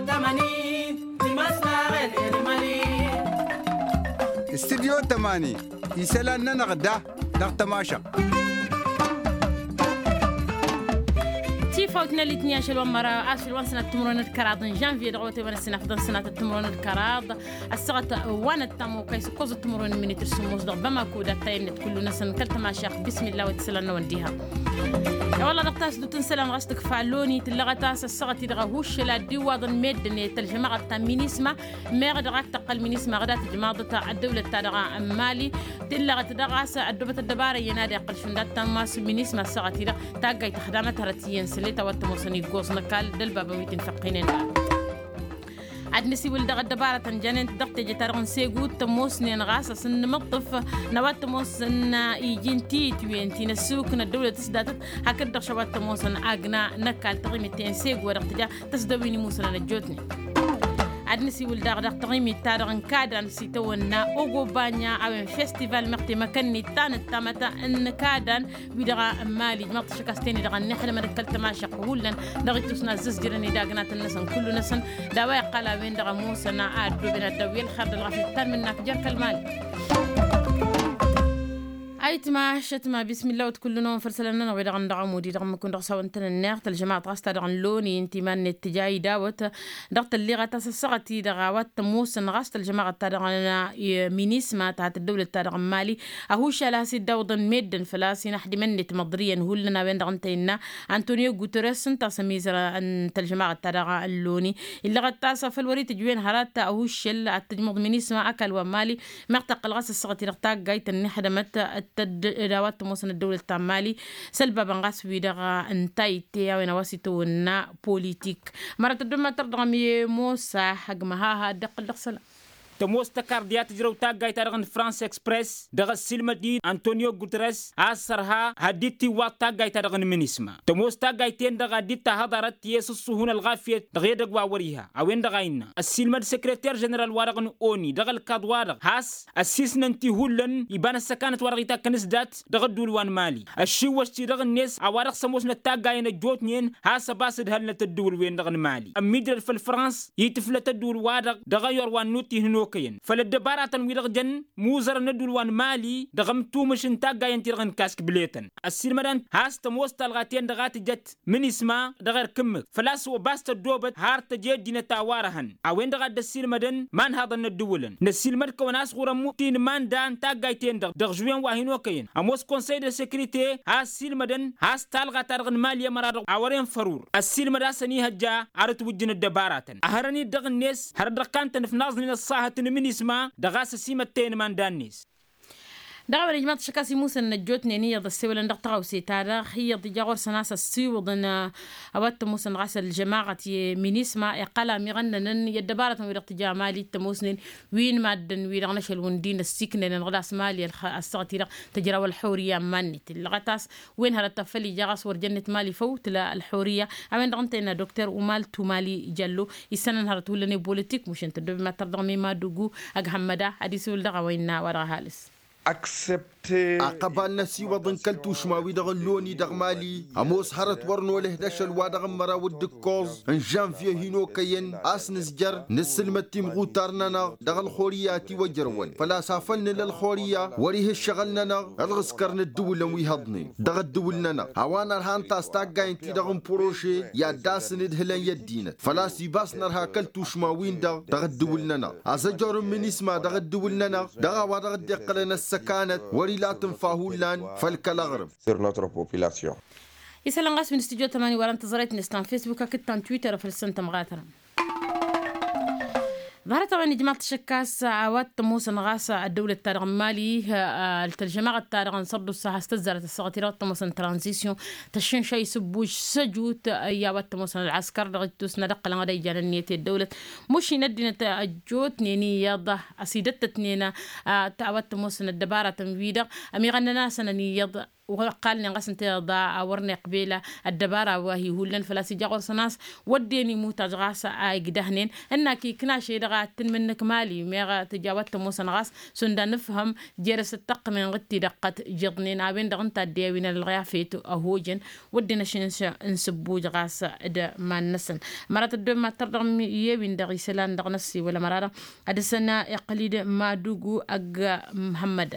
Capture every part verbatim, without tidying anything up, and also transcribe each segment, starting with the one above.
Tămani timăslaɣen elmali. Studyo tămani isălan-nănăɣ da dăɣ-tămašăɣt. Tifawt n-elitni ašăl wa n-măra ašăl wa n-sănat timǝrwen d-kăraḍ n-žănvye dăɣ-wătewăn ăssinafḍăn sănat timǝrwen d-kăraḍ. Ăssaɣăt wa n-ăttam okăy s-ǝkkoẓ timǝrwen n-minitǝr sǝmmos dăɣ-bamako d-attayănnet kullu-năsăn kăl-tămašaɣt. Bismillah wa t-isălan-năwăn diha. I-wălla dăɣ-tasdut n-isălan ɣas tǝkfa loni tǝllăɣăt a-s ăssaɣăt-i-dăɣ ahuššăl ad-dd-iwwaḍăn meddǝn i-tălžămaɣăt ta n-minisma. Meɣ dăɣ-ak tăqqăl minisma ɣǝdat tǝjmaḍăt ăddăwlăt-ta-dăɣ n-mali. Tǝllăɣăt dăɣ-a-s ăddobăt ăddăbara iyyăn ad-iqqăl šund ad-tammas minisma ăssaɣăt-i-dăɣ taggayt tăxdamăt hărăt iyyăn sălet a-wa t-ămoosăn iggoẓ n-ăkall d-ălbabăn wi t-infăqqinen. Ad-nǝsiwǝl dăɣ-ăddăbaratăn janen-t dăɣ-teje-ta-dăɣ n-segu t-ămoosnen ɣas a-s n-inǝmǝṭṭǝf n-a-wa t-ămoosăn iji n-tiyǝtwen ti n-ăssuk n-ăddăwlăt s-datăt. Hakd-dăɣ š-a-wa t-ămoosăn agna n-ăkall taɣimit-ten segu wa dăɣ-tǝja tăsdăwin imusănăn ăjjootnen. Ad-nǝsiwǝl daɣ dăɣ-taɣimit-ta-dăɣ n-kadan s-itawănna ogobanya a-wen festival meɣ temăkănnit ta n-ăttamăt n-kadan wi-dăɣ n-mali ijmaḍ-t ašăk a-s ten-i-dăɣ ănnixdămăn d-kăl-tămašăɣt hullan dăɣ-ittus n-azzǝzjărăn idagnaten-năsăn kullu-năsăn. D-a-wa iqqal a-wen-dăɣ ămoosăn a ăddooben ad-dd-awǝyăn ălxer d-ălɣafyăt ta n-imǝnnak jer-kăl-mali. Ayǝtma ašătma bismillah wăt kullu-năwăn făll-isălan-nănăɣ wi-dăɣ n-dăɣ-amudi dăɣ-ǝmmǝk-wǝn dăɣ-s hawăn-tăn-ǝnneɣ tălžămaɣăt ɣas ta dăɣ-nǝlloni n-timan-net tǝja idawăt dăɣ-tălliɣăt a-s ăssaɣăt-i-dăɣ a-wa t-ămoosăn ɣas tălžămaɣăt ta dăɣ-minisma ta hat-ăddăwlăt ta dăɣ-n mali. Ăhušal a has-dd-awǝḍăn meddǝn făl-a-s inăḥdimăn-net măḍriyăn hullan a-wen-dăɣ ǝnta innă antonio guteres ǝnta a-s ămizăr n-tălžămaɣăt ta dăɣ-ălloni. Illăɣăt a-s făl wăr-itǝjwen hărăt ăhušăl ad-tǝjmăḍ minisma ăkall wa n-mali. Meɣ tăqqăl ɣas ăssaɣăt-i-dăɣ taggayt ănnixdămăt d-a-wa t-ămoosăn ăddăwlăt ta n-mali. S-ălbabăn ɣas wi-dăɣ n-tayǝtte a-wen a-wa s-itawănna politik. Mărăt ăddommăt tărdăɣăm i-mosa hăgg măhaha dd-iqqǝl dăɣ-isălan. Tămoos tăkarḍi a tǝjrăw taggayt-ta-dăɣ n-frans express dăɣ-ăssiilmăd-in antonio guteres a ăssărha had-dd-tiwwaḍ taggayt-ta-dăɣ n-minisma. Tămoos taggayt-ten-dăɣ a dd-tahăḍarăt i-s ǝṣṣuhu n-ălɣafyăt dăɣ-edăgg wa wăr-iha a-wen-dăɣ a innă ăssiilmăd sekreter ženeral-wa-dăɣ n-oni dăɣ-ălkaḍ-wa-dăɣ has ăssiisnăn-t i-hullan iba n-ăssăkanăt wa dăɣ-itakkăn s-dat dăɣ-ădduul wa n-mali. Ăššiwwăš-t-i-dăɣ-net a-wa dăɣ-s ămoosnăt taggayăn ăjjootnen has-ăbas ǝdhălnăt ădduul-wen-dăɣ n-mali ămmiijrăd făll-frans itǝflăt ădduul-wa-dăɣ dăɣ-ayor wa n-nuti hin-okăyăn făll-ăddăbaratăn-wi-dăɣ jăn imuzărăn n-ădduul wa n-mali dăɣ-ămtumǝš n-taggayăn-ti-dăɣ n-kask bletăn. Ăssiilmădăn has tămoos talɣa-ten-dăɣ a tǝjăt minisma dăɣ-erk ǝmmǝk făl-a-s ăbas tăddoobăt har tăj i-ăddinăt a-wa răhăn a-wen-dăɣ a dd-ăssiilmădăn imanhaḍăn n-ăddǝwǝlăn. Năssiilmăd-kăwăn a-s ɣur-ămmu tinǝmanda n-taggayt-ten-dăɣ dăɣ-žuwen wa hin-okăyăn ămoos konsăy de sekrite a ăssiilmădăn has-talɣa-ta-dăɣ n-mali ămăra-dăɣ a wăren fărur ăssiilmăd a-s ănihăjja ar ǝtwǝjjǝn ăddăbaratăn ăhărăn-dd dăɣ-net hărăt dăɣ-kantăn ǝfnaẓnen ăṣṣahăt n-minisma dăɣ-a-s ăsimăttăyăn imanda-net. Dăɣ-a-wen ijmaḍ-t ašăk a-s imusăn n-ăjjootnen iyyăḍ ăssewălăn dăɣ-taɣawse-ta-dăɣ iyyăḍ ija ɣur-săn a-s ăssiwǝḍăn a-wa t-ămoosăn ɣas ălžămaɣăt i-minisma iqqăl amiɣănnănăn i-ăddăbarătăn wi-dăɣ tǝja mali t-ămoosnen wi n-maddǝn-wi-dăɣ n-ašăl wǝndin ăssiiknăyăn ɣǝlas mali ălxăɣăt-i-dăɣ tǝjraw ălxurǝyya n-iman-net illăɣăt a-s wen hărăt ta făl ija ɣas wăr jănnet mali făw tǝla ălxurǝyya. A-wen-dăɣ ǝnta innă dokter umal tumali jăllo issănăn hărăt hullan i-bolitik mušǝn tăddobe ma tărdăɣ mema dugu ăghămmăda ad-isǝwǝl dăɣ-a-wa innă a-wa dăɣ-ăhalǝs. Aqăbal n-ăsiwăḍ n-kăl-tušma-wi-dăɣ n-loni dăɣ-mali ămoos hărăt wăr nolăh d-ašăl wa dăɣ-n măraw d-ǝkkoẓ n-žănvye hin-okăyăn a-s nǝzjăr nǝssǝlmăd timɣutar-nănăɣ dăɣ-ălxurǝyya a tiwăjrăwăn făl-a-s afăl nǝla ălxurǝyya wăr-ih' ǝššăɣǝl-nănăɣ ălɣǝskăr n-ǝddǝwǝlăn wi hăḍnen dăɣ-ǝddǝwǝl-nănăɣ. A-wa nărha ǝnta a-s taggayăn-ti-dăɣ n-prože i-ad-dasăn d-hǝlăn i-ăddinăt făl-a-s ibas nărha kăl-tušma-win-dăɣ dăɣ-ǝddǝwǝl-nănăɣ azăjor n-minisma dăɣ-ǝddǝwǝl-nănăɣ dăɣ-a-wa dăɣ-dd-iqqălăn ăssăkanăt wăr-ila tǝnfa hullan făll-kăl-aɣrǝm. Sur notre population. Isălan ɣas wi n-studyo tămani wăren tăẓrayt-net ta n-facebook hakd ta n-twitter făll-săn tămɣatărăm. Ḍarăt-a-wen ijmaḍ-t ašăk a-s a-wa t-ămoosăn ɣas ăddăwlăt-ta-dăɣ n-mali ăltălžămaɣăt-ta-dăɣ n-sărdusa has-tăzzarăt ăssaɣăt-i-dăɣ t-ămoosăn tranzisyon tăššǝnša isǝbbuj săjut i-a-wa t-ămoosăn ălɣăskăr dăɣ-ittus n-ad-ăqqălăn ad-ăyjan ǝnniyăt i-ăddăwlăt. Mušin ăddinăt ăjjootnen iyyăḍ ăsidăttătnen a-wa t-ămoosăn ăddăbaratăn-wi-dăɣ ămiɣănnăn-asăn ăniyyăḍ. Wăr-ăqqalnen ɣas ǝnta iḍa a wăr n-iqbel ăddăbara wa hi-hullan făl-a-s ija ɣur-săn a-s wădden imutaj ɣas a igdăhnen ǝnnak ikna šăy dăɣ-a t-tǝnmǝnnǝk mali meɣ tǝja wa t-ămoosăn ɣas šund anǝfhăm jer-s ǝttăqqǝmen ɣǝd tidăqqăt jiḍnen a-wen-dăɣ ǝnta a dd-iwin ălɣafet ăhojăn. Wădden ašǝnš n-sǝbbuj ɣas d-iman-năsăn. Mărat ăddooben mad-tărdăɣăm i-ewin dăɣ-isălan dăɣ-năssiwăl ămăra-dăɣ ad-dăr-săn iqqăl-dd madugu ăgg-măhămmăd.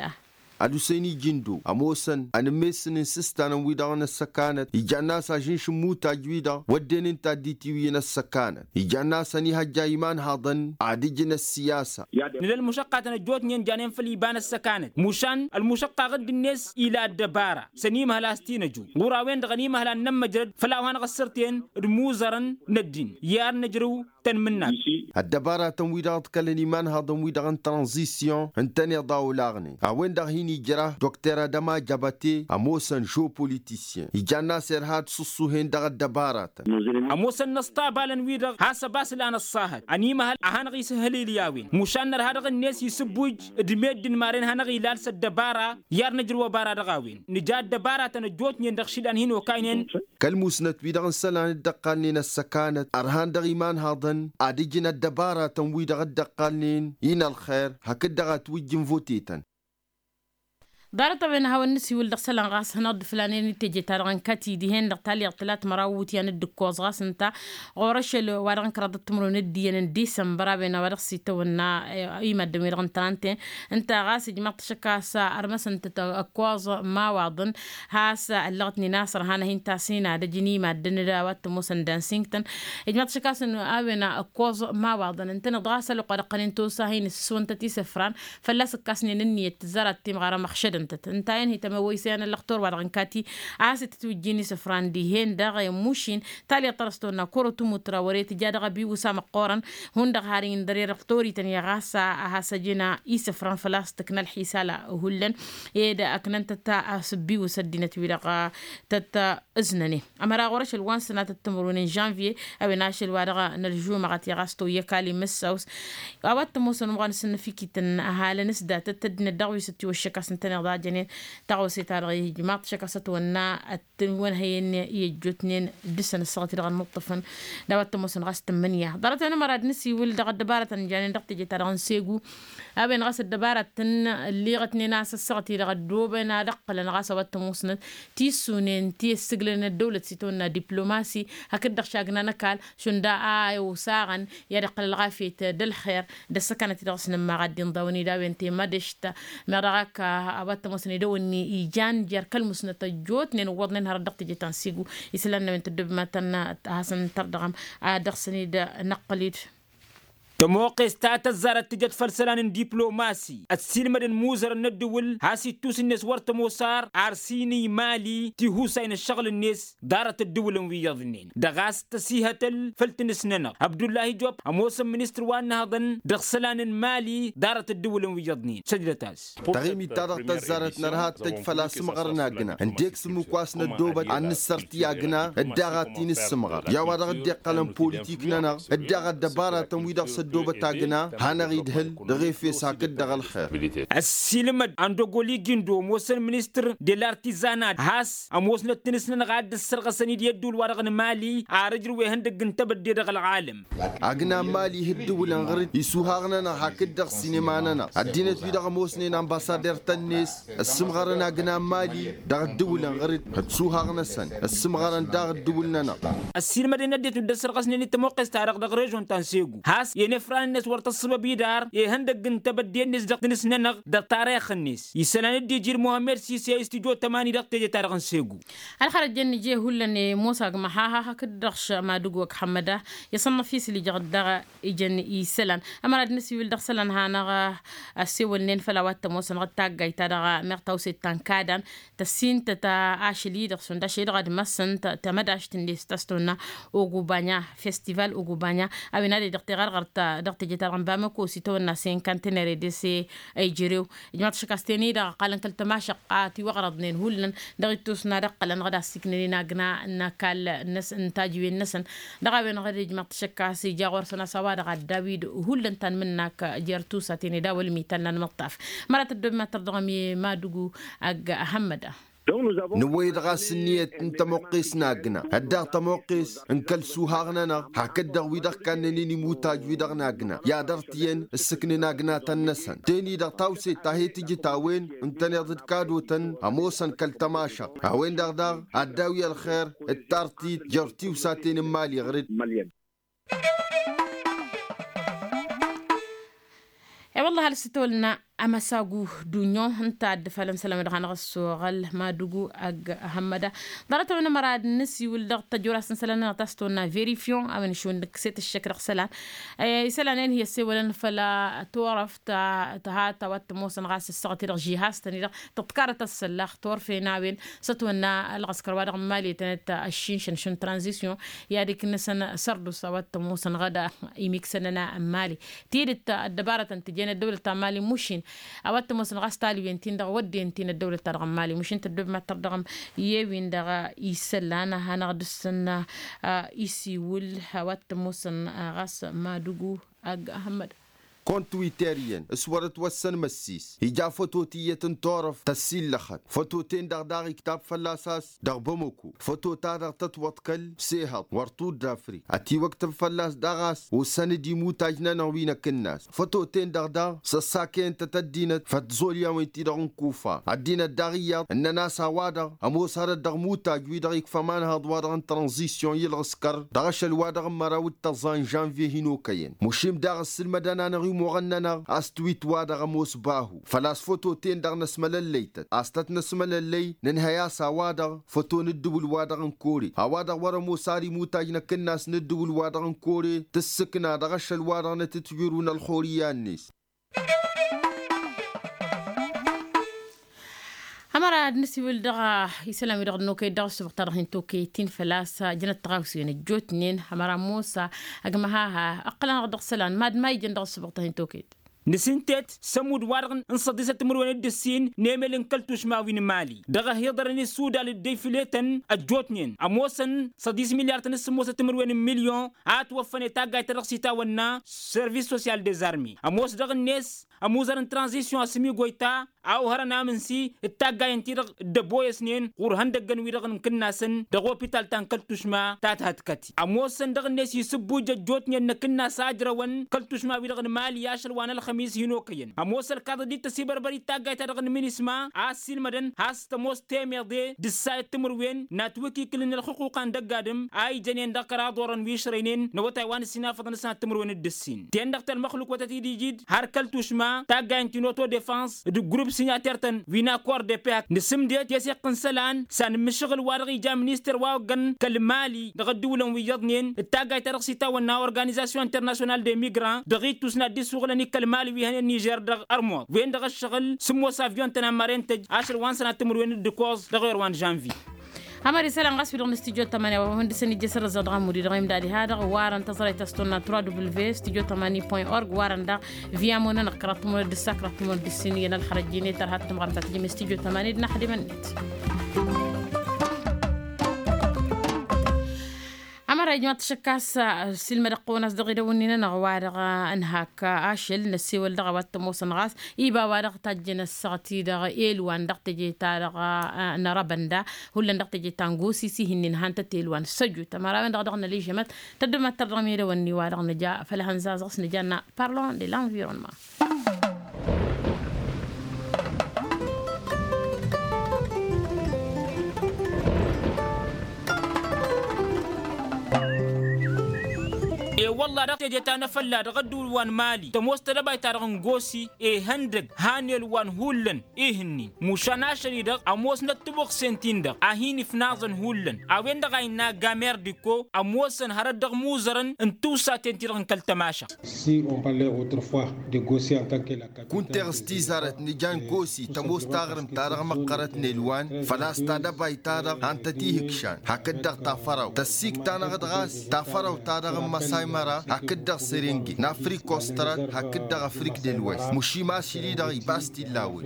Ad-usăyni jindo ămoosăn ănǝmmesăn n-isǝstan n-wi-dăɣ n-ăssăkanăt ijan n-a-s ažǝnš n-imutaj-wi-dăɣ wădden ǝnta a dd-itiwǝyăn ăssăkanăt ijan n-a-s ănihăjja imanhaḍăn ad-ǝjǝn ăssiyasa. Nǝla ălmušăqqatăn ăjjootnen janen făll-iba n-ăssăkanăt mušan ălmušăqqaɣ dd-net ila ăddăbara s-ănimăhăl a-s t-inăju ɣur-a-wen-dăɣ ănimăhăl ad-nămmăjrăd făll-a-wa hanăɣ-ăssărten d-imuzărăn n-ăddin i-ad-nǝjrǝw tăn-mǝnnat. Ăddăbaratăn-wi-dăɣ ǝḍkălăn imanhăḍăn-wi-dăɣ n-tranzisyon ǝntăneḍ a olaɣnen a-wen-dăɣ hin-ijra dr adăma jăbăte ămoosăn žopolitisyen ijan n-a-s irha ad-sǝṣṣuhen dăɣ-ăddăbaratăn. Ămoosăn inăsṭabalăn-wi-dăɣ has-ăbas lan ăṣṣahăt ănimăhăl a hanăɣ-isǝhhǝl ilyawen mušan nărha dăɣ-net isǝbbuj d-meddǝn maren hanăɣ-ilal s-ăddăbara i-ad-nǝjrǝw ăbara dăɣ-a-wen nǝja ăddăbaratăn ăjjootnen dăɣ-išilan hin-okaynen. Kăl-musnăt-wi-dăɣ n-isălan dd-ăqqalnen ăssăkanăt ărhan dăɣ-imanhaḍăn ad-ǝjǝn ăddăbaratăn-wi-dăɣ dd-ăqqalnen i-inălxer hakd-dăɣ a tiwǝjjǝn votetăn. Ḍarăt-a-wen a hawăn-nǝsiwǝl dăɣ-isălan ɣas hănăɣ-dd flanen i-teje-ta-dăɣ n-kăti dihen-dăɣ talyaḍt tălatmăraw wutyan d-ǝkkoẓ ɣas ǝnta ɣur-ašăl wa dăɣ-n kăraḍăt timǝrwen d-iyyăn n-disămbăr a-wen a-wa dăɣ-s itawănna i-maddǝn-wi-dăɣ n-tranten. Ǝnta ɣas ijmaḍ-t ašăk a-s ărmăsăn-tăt ǝkkoẓ imawaḍăn has-ăllăɣătnen a-s ărhan ad-hin-tasǝynadăj n-imaddǝn d-a-wa t-ămoosăn dansingtăn. Ijmaḍ-t ašăk a-s a-wen ǝkkoẓ imawaḍăn ǝntăneḍ ɣas ălwăqq wa dăɣ-tănen tosa hin-ǝssǝswăn-tăt isǝfran fălla-s ǝkkasnen ǝnniyăt tǝzzarăt timɣara măxšădăn-tăt ǝnta a-wen hi-tămăwwăy isăyan ăllăxtur wa dăɣ-n kati a has-itǝtwǝjjin isǝfran dihen-dăɣ i-mušin. Talyaḍt ta dăɣ-s tăwănna kăro tǝmutra wăr-e tǝja dăɣ-abiwǝs amăqqoorăn hundăɣ har indăr i-dăɣ tori-tăn i-ɣas a has-ăjǝn isǝfran făl-a-s tǝkna ălxisala hullan ed ăknăn-tăt asǝbbiwǝs ăddinăt-wi-dăɣ tăt-ǝznănen. Ămăra ɣur-ašăl wa n-sănatăt timǝrwen n-žănvye a-wen ašăl wa dăɣ-nălžumăɣăt i-ɣas toyy ăkall imǝssaws a-wa t-ămoosăn umăɣăn s-ǝnnǝfikităn ăhalăn s-datăt ăddinăt dăɣ-wi s-ătiwăššăk a-s ǝntăneḍ a jănen. Taɣose-ta-dăɣ ijmaḍ-t ašăk a-s ătwănna ătwănhăyăn i-ăjjootnen dăr-săn ăssaɣăt-i-dăɣ ănnuṭṭăfăn d-a-wa t-ămoosăn ɣas tǝmmǝnǝya. Ḍarăt-a-wen ămăra ad-nǝsiwǝl dăɣ-ăddăbarătăn janen dăɣ-teje-ta-dăɣ n-segu a-wen ɣas ăddăbarătăn ălliɣătnen a-s ăssaɣăt-i-dăɣ ăddooben ad-ǝqqǝlăn ɣas a-wa t-ămoosnăt tissunen ti ăssǝglăn ăddăwlăt s-itawănna diplomasi hakd-dăɣ šagnan ăkall šund a iwǝsaɣăn i-ad-iqqăl ălɣafyăt d-ălxer d-ăssăkanăt-i-dăɣ s-nǝmmaɣ ad-dd-inḍawăn-dd a-wen temădăšt. Meɣ dăɣ-ak a-wa t-ămoosăn edăwănni ijan jer-kăl-musnăt ăjjootnen ǝwwăḍnen hărăt dăɣ-teje ta n-sigu isălan n-a-wen tăddob iman-tăn. Ad-hasăn-tărdăɣăm ad-dăɣ-săn-dd-năqqǝl-dd. Tămoqqes ta tăzzarăt tǝjăt făll-isălan n-diplomasi ăssiilmădăn imuzărăn n-ăddǝwǝl has-ittus-net wăr tămoos ar arsini mali tihusay n-ǝššăɣǝl-net. Ḍarăt ăddǝwǝlăn wi iyyăḍnen dăɣ-a-s tăsihătăl făll-tinǝs-nănăɣ abdullahi job ămoosăn ministăr wa n-inǝhhăḍăn dăɣ-isălan n-mali. Ḍarăt ăddǝwǝlăn wi iyyăḍnen săjdăt-as. Taɣimit-ta-dăɣ tăzzarăt nărha ad-tăj făll-asǝmɣăr n-agna ǝndek s-ǝmmǝk wa s-năddoobăt ad-nǝssărti agna d-daɣ ad-t-in-ǝssǝmɣăr i-a-wa dăɣ-dd-iqqălăn politik-nănăɣ d-daɣ ăddăbaratăn-wi-dăɣ s-ăddoobăt agna. Hanăɣ-idhǝl dăɣ-efes hakd dăɣ-ălxer. Ăssiilmăd andogoli gindo ămoosăn ministăr de lartizanat has-ămoosnăt tinǝs-nănăɣ a dd-ǝssărɣăsăn-dd i-ădduul-wa-dăɣ n-mali ar ǝjrǝw ihăndăgg n-tebădde dăɣ-ălɣalăm. Agna n-mali ih' ǝddǝwǝlăn ɣăr-dd isuhaɣ-nănăɣ hakd-dăɣ sinema-nănăɣ ăddinăt-wi-dăɣ ămoosnen anbasader-tăn-net ăssǝmɣărăn agna n-mali dăɣ-ǝddǝwǝlăn ɣăr-dd. Ătsuhaɣ-năsăn ăssǝmɣărăn daɣ ǝddǝwǝl-nănăɣ. Ăssiilmădăn ăddinăt wi dd-ăssărɣăsnen i-tămoqqest-ta-dăɣ dăɣ-režon ta n-segu has-i-ănefran-net wăr tăṣṣǝbăb idar ihăndăgg n-tebădde-net dăɣ-tinǝs-nănăɣ dăɣ-tarix-net isălan dd-iji d-muhămmed sise i-stujo tămani dăɣ-teje-ta-dăɣ n-segu. Ălxărăt jăn nǝje hullan i-musa ăgg măhaha hakd-dăɣ madǝgo ăgg hămmăda i-săn năfis lijăɣ-dd dăɣ-ijăn isălan. Ămăra d-nǝsiwǝl dăɣ-isălan hanăɣ-ăssewălnen făll-a-wa t-ămoosăn ɣǝd taggayt-ta-dăɣ meɣ tawset ta n-kadan tăssintăt ašăl-i-dăɣ šund ašăl-i-dăɣ ad-măssăn tamădašt-net ta s-tăwănna ogubanya festival ogubanya a-wen ad-e-dăɣ teɣărɣărt dăɣ-teje-ta-dăɣ n-bamăko s-itawănna senkantenere dese ăyjărew. Ijmaḍ-t ašăk a-s ten-i-dăɣ ăqqalăn kăl-tămašăqqa tiwăɣrăḍnen hullan dăɣ-ittus n-ad-ǝqqălăn ɣǝd a-s iknănen agna n-ăkall n-tajǝwen-năsăn. Dăɣ-a-wen-dăɣ ijmaḍ-t ašăk a-s ija ɣur-săn a-s a-wa-dăɣ ad-daw-dd hullan tanmǝnnak jer-tusaten ed awălmi ta n-anmǝṭṭaf. Măra tăddob mad-tărdăɣăm i-madugu ăgg hămmăda. Nǝwwăy-dd ɣas ǝnniyăt n-tămoqqes n-agna ăddeɣ tămoqqes n-kăl-suhaɣ-nănăɣ hakd-dăɣ wi-dăɣ kannănen imutaj wi-dăɣ n-agna i-ad-ărtǝyăn ǝssǝknen agnatăn-năsăn. Ten-i-dăɣ tawset ta he-tǝjǝt a-wen ǝntăneḍ d-kadotăn ămoosăn kăl-tămašăɣt a-wen-dăɣ daɣ ad-daw-i ălxer d-tartit jer-tiwsaten n-imali ɣǝr-dd. E-wălla hal s-tolna amăsagu dunyo ǝnta a dd-ifalăn isălan-wi-dăɣ hanăɣ-ăssoɣăl madugu ăgg hămmăda. Ḍarăt-wen ămăra ad-nǝsiwǝl dăɣ-tăjorăst n-isălan-nănăɣ ta s-tolna verifion a-wen išund nǝkkǝset ǝššăk dăɣ-isălan. Isălan-en hi-ăssewălăn făll-turăft ta tăha ta wa t-ămoosăn ɣas ǝssăɣăt-i-dăɣ žihaz-tăn-i-dăɣ tǝḍkarăt ăssăllaɣ turfen a-wen s-ătwănna ălɣăskăr wa dăɣ-n mali tănăt ăššinšăn šund tranzisyon. I-ad-iknǝsăn sărdusa wa t-ămoosăn ɣăda imiksănăn n-mali tidǝt ăddăbarătăn tǝjen ăddăwlăt ta n-mali mušin. A-wa t-ămoosăn ɣas taliwen-tin-dăɣ wădden-tin ăddăwlăt ta dăɣ-n mali mušin tăddob mattăr dăɣ-m i-ewin-dăɣ isălan hanăɣ-dăɣ-săn isiwǝl. A-wa t-ămoosăn ɣas madugu ăgg hămmăd. Kont twitter-iyyăn s-wăr-ătwăssăn măssis ija fătot iyyăt n-turăft tăssillăxăt fătoten-dăɣ daɣ iktab fălla-s a-s dăɣ-bamăko. Făto-ta-dăɣ tătwăḍkăl s-ehăḍ wăr tudd afrik ătiwăktǝb fălla-s daɣ a-s ossăn-dd imutaj-nănăɣ wi n-akǝnnas. Fătoten-dăɣ daɣ săssakăyăn-tăt ăddinăt făll-tiẓolyawen-ti-dăɣ n-kufa ăddinăt daɣ iyyăḍ ǝnnăn-as a-wa-dăɣ ămoos hărăt dăɣ-imutaj-wi-dăɣ ikfa imanhăḍ-wa-dăɣ n-tranzisyon i-ălɣǝskăr dăɣ-ašăl-wa-dăɣ n-măraw d-tăẓẓa n-žănvye hin-okăyăn. Mušim daɣ ǝssǝlmădăn-anăɣ imwăɣăn-nănăɣ a-s tiwit-wa-dăɣ ămoos bahu făl-a-s fătoten-dăɣ năsmălăllăy-tăt a-s tăt-năsmălăllăy nǝnhăy a-s a-wa-dăɣ făto n-ǝddǝwǝl-wa-dăɣ n-kore a-wa-dăɣ wăr-ămoos ar imutaj n-akǝnnas n-ǝddǝwǝl-wa-dăɣ n-kore tǝssǝkna dăɣ-ašăl-wa-dăɣ n-atǝtwirǝw n-ălxurǝyya-net. Ămăra ad-nǝsiwǝl dăɣ-isălan-wi-dăɣ ănnokăyăt dăɣ-ăssubăɣ-ta-dăɣ hin-tokăyăt ti n-făl-a-s jănăt tăɣawse n-ăjjootnen ămăra ămoos agmăhaha ǝqqǝlăn-dăɣ dăɣ-isălan mad-ma ijăn dăɣ-ăssubăɣ-ta hin-tokăyăt. Nǝsǝntet s-ămudd-wa-dăɣ n-săḍisăt timǝrwen d-ǝssin n-emel n-kăl-tušma wi n-mali dăɣ-ăhiḍărăn isudal dd-ifletăn ăjjootnen ămoosăn săḍis milyar-tăn s-sǝmmosăt timǝrwen n-milyon a ătwăffănet taggayt-ta-dăɣ s-itawănna service social des armées ămoos dăɣ-net ămuzăr n-tranzisyon asǝmigoyta a ohărăn amǝnsi d-taggayăn-ti-dăɣ dd-ăboyăsnen ɣur-ihăndăggăn-wi-dăɣ n-kǝnnasăn dăɣ-opital ta n-kăl-tušma ta t-hătkăti ămoosăn dăɣ-net isǝbbuj ăjjootnen n-akǝnnas a ǝjrăwăn kăl-tušma-wi-dăɣ n-mali ašăl wa n-ălxămis hin-okăyăn ămoos ălkaḍăd d-tăsibărbărit taggayt-ta-dăɣ n-minisma a ăssiilmădăn has-tămoos temeḍe d-ǝssayăt timǝrwen n-atwǝkikǝl n-ălxuquqa n-dăgg-adǝm a ijănen dăɣ-kăraḍ orăn wi ǝšrăynen n-awătay wa n-ǝssin afăḍăn s-ad-timǝrwen d-ǝssin ten-dăɣ telmăxluk wa tăt-dd-ijid har kăl-tušma taggayăn ti n-autodefăns d-grup signataire-tăn wi n-akor de paix nǝsǝmded teseɣt n-isălan s-anǝmmǝššăɣǝl wa dăɣ-ija minister wa oggăn kăl-mali dăɣ-ăddǝwǝlăn wi iyyăḍnen d-taggayt-ta-dăɣ s-itawănna organizasyon international de migrant dăɣ-ittus n-ad-dd-isuɣǝlăn i-kăl-mali wi hănen nižer dăɣ-ărmuḍ wen-dăɣ ăššăɣǝl sǝmmos avyon-tăn ammaren tăj ašăl wa n-sănat timǝrwen d-ǝkoẓ dăɣ-ewăr wa n-žănvi. Amăr isălan ɣas wi-dăɣ n-studyo tămani wa hundǝsăn ijjăsăr ăzzaɣ dăɣ-amudi dăɣ-imdadi ha-dăɣ warăn tăẓrăyt a-s tonna trois w studyo tămani point org warăn daɣ via monăn ăkkăraḍ tămănăd d-ǝssa ăkkăraḍ tămănăd d-ǝssin iyyăn ălxărăjjine tărha d-tǝmɣăr ta tǝjǝm studyo tămani d-naxdimăn-net. Amăra ijmaḍ-t ašăk a-s silmădăɣ-t ăwăn-as dăɣ-idăwănnin-anăɣ wa-dăɣ ănhak ašăl năssewăl dăɣ-a-wa t-ămoosăn ɣas iba wa-dăɣ tajjăn ăssaɣăt-i-dăɣ elwan dăɣ-teje-ta-dăɣ n-arăbănda hullan dăɣ-teje ta n-gosis ih'-ǝnnin han-tăt elwan săjut ămăra a-wen-dăɣ a dăɣ-nălijămăt tăddămăt tărdăɣ n-idăwănni wa-dăɣ nǝja făll-hănzazăɣ s-nǝja n-parlon de l-anvironnement. E-wălla-hi dăɣ-teje ta n-afălla dăɣ-ădduul wa n-mali tămoos tedăbayt-ta-dăɣ n-gosi ihăndăg han elwan hullan ih'-ǝnnin mušan ašăl-i-dăɣ ămoosnăt tăbuɣsen-tin-dăɣ a hin-ifnaẓăn hullan a-wen-dăɣ a innă gamer diko ămoosăn hărăt dăɣ-imuzărăn n-tiwsaten-ti-dăɣ n-kăl-tămašăɣt. Kunteɣ s-tizarăt nǝja n-gosi tămoos taɣrǝmt-ta-dăɣ măqqărăt n-elwan făl-a-s tadăbayt-ta-dăɣ han-tăt-ihǝkšan hakd-dăɣ tafărawt tăssikt-anăɣ-dd ɣas tafărawt-ta-dăɣ n-măsay. Măra hakd-dăɣ serenge n-afrik kostrat hakd-dăɣ afrik de l-west mušim ašli-dăɣ ibas t-illa a-wen.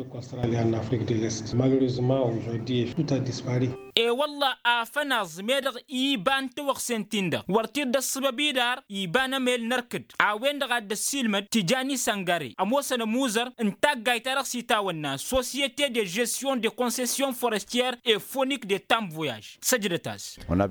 E-wălla afănaẓ meddăɣ iba n-tawăɣsen-tin-dăɣ wăr t-dd-ăṣṣăbăb idar iba n-emel n-erkǝd a-wen-dăɣ a dd-ăssiilmăd tijani săngare ămoosăn ămuzăr n-taggayt-ta-dăɣ s-itawănna societe de gestion de concession forestier et fonik de tamb voyage. Săjdăt-as.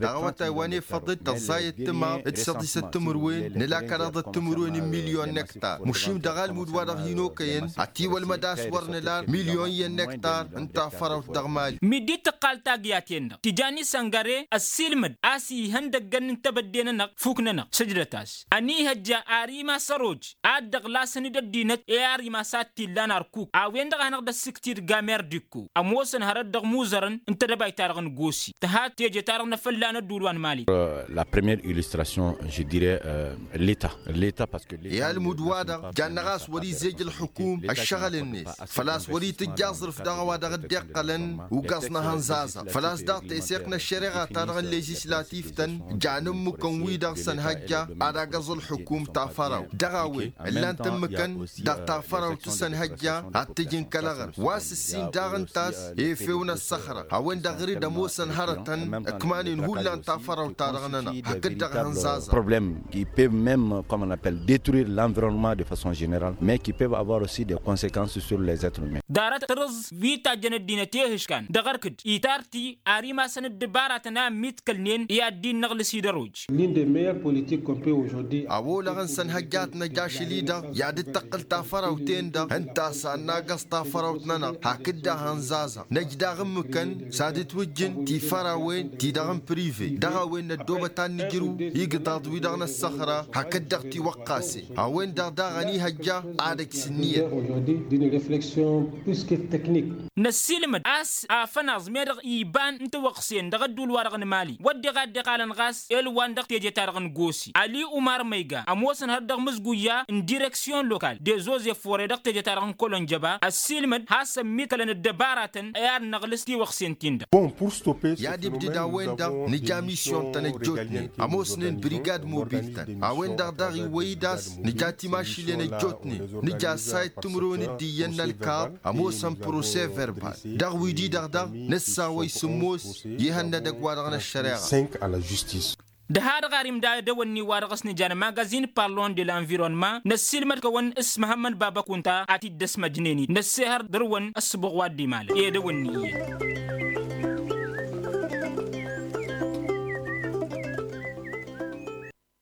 Dăɣ-awătay wa n-efăḍ-dd tăẓẓayăt timaḍ d-săḍisăt timǝrwen nǝla kăraḍăt timǝrwen n-milyon n-ektar mušim dăɣ-almud wa dăɣ-hin-okăyăn ătiwălmăd a-s wăr nǝla milyon iyyăn n-ektar n-tafărawt dăɣ-mali. Midi tǝqqal tagyaten-dăɣ tijani săngăre ăssiilmăd a-s ihăndăggăn n-tebădde-nănăɣ fuk-nănăɣ săjdăt-as. Ănihăjja ar imas ăroj ad-dăɣ-lasăn-dd ăddinăt i-ar imas ad-t-illan ărkuk a-wen-dăɣ a hanăɣ-dd-ăssiktid gamer d-ikko ămoosăn hărăt dăɣ-imuzărăn n-tedăbayt-ta-dăɣ n-gosi tǝha teje-ta-dăɣ n-afălla n-ădduul wa n-mali. La première illustration je dirai leta leta parce que i-almud-wa-dăɣ janna ɣas wăr-izej ǝlxǝkum ăššăɣǝl-net făl-a-s wăr-itǝjj aẓrǝf dăɣ-a-wa dăɣ-dd-iqqălăn ugaẓ n-ehănẓaẓăɣ făl-a-s daɣ teseɣt n-ăššăreɣa-ta-dăɣ n-ležislativ-tăn jan ǝmmǝkăn-wi-dăɣ s-ănhăjja ad-agăẓ ǝlxǝkum tafărawt dăɣ-a-wen ǝllan-t ǝmmǝkăn dăɣ-tafărawt s-ănhăjja ad-t-ǝjǝn kăl-aɣrǝm wa s-ǝssin daɣ ǝnta a-s efew n-ăssăxra a-wen-dăɣ ɣǝr-dd ămoosăn hărătăn ǝkmanen hullan tafărawt-ta-dăɣ-nănăɣ hakd-dăɣ ehănẓaẓăɣ. Problème qui peut même comme on appelle détruire l'environnement de façon générale mais qui peuvent avoir aussi des conséquences sur les êtres humains. Ḍarăt tărǝẓ wi tajjăn ăddinăt i-ehǝškan dăɣ-ărkǝd itarti ar imasăn ǝddǝbaratăn a ămmiḍkălnen i-ad-dd-innăɣlǝs-dd ăroj. L'une des meilleures politiques qu'on peut aujourd'hui a-wa olăɣăn s-ănhăjjat năj ašăl-i-dăɣ i-ad-dd-tăqqǝl tafărawt-en-dăɣ ǝnta a-s ad-nagăẓ tafărawt-nănăɣ hakd-dăɣ ehănẓaẓăɣ năj daɣ ǝmmǝkăn s-ad-ǝtwǝjjǝn tifărawen-ti-dăɣ n-prive dăɣ-a-wen năddoobăt ad-nǝjrǝw igǝḍaḍ-wi-dăɣ n-ăssăxra hakd-dăɣ tiwăqqasen a-wen-dăɣ daɣ ănihăjja ad-ăj s-ǝnniyăt. Năssiilmăd a-s afănaẓ meddăɣ iba n-tawăɣsen dăɣ-ădduul-wa-dăɣ n-mali wădden a dd-iqalăn ɣas elwan dăɣ-teje-ta-dăɣ n-gosi ali umar măyga ămoosăn hărăt dăɣ-imǝzguyya n-direksyon lokal de zoze fore dăɣ-teje-ta-dăɣ n-kolonjăba ăssiilmăd has-ămmiḍkălăn ăddăbaratăn i-ad-năɣlǝs tiwăɣsen-tin-dăɣ. I-ad-ibdǝd a-wen-dăɣ nǝja misyon-tăn ăjjootnen ămoosnen brigad-mobil-tăn a-wen-dăɣ daɣ iwwăy-dd a-s nǝja timašǝlen ăjjootnen nǝja ăssayăt timǝrwen d-iyyăn n-ălkaḍ ămoosăn prose verbal dăɣ-wi-di-dăɣ daɣ nǝssawăy sǝmmos i-ihănnădăgg-wa-dăɣ n-ăššăreɣa. Dăha-dăɣ ar imda edăwănni-wa-dăɣ s-nǝja n-magazin parlon de l-anvironnement năssiilmăd-kăwăn s-măhămmăd baba kunta ad-t-dd-ăsmăjnen-dd năssehăr dăr-wăn ăssǝbuɣ wa dd-imalăn edăwănni iyyăn.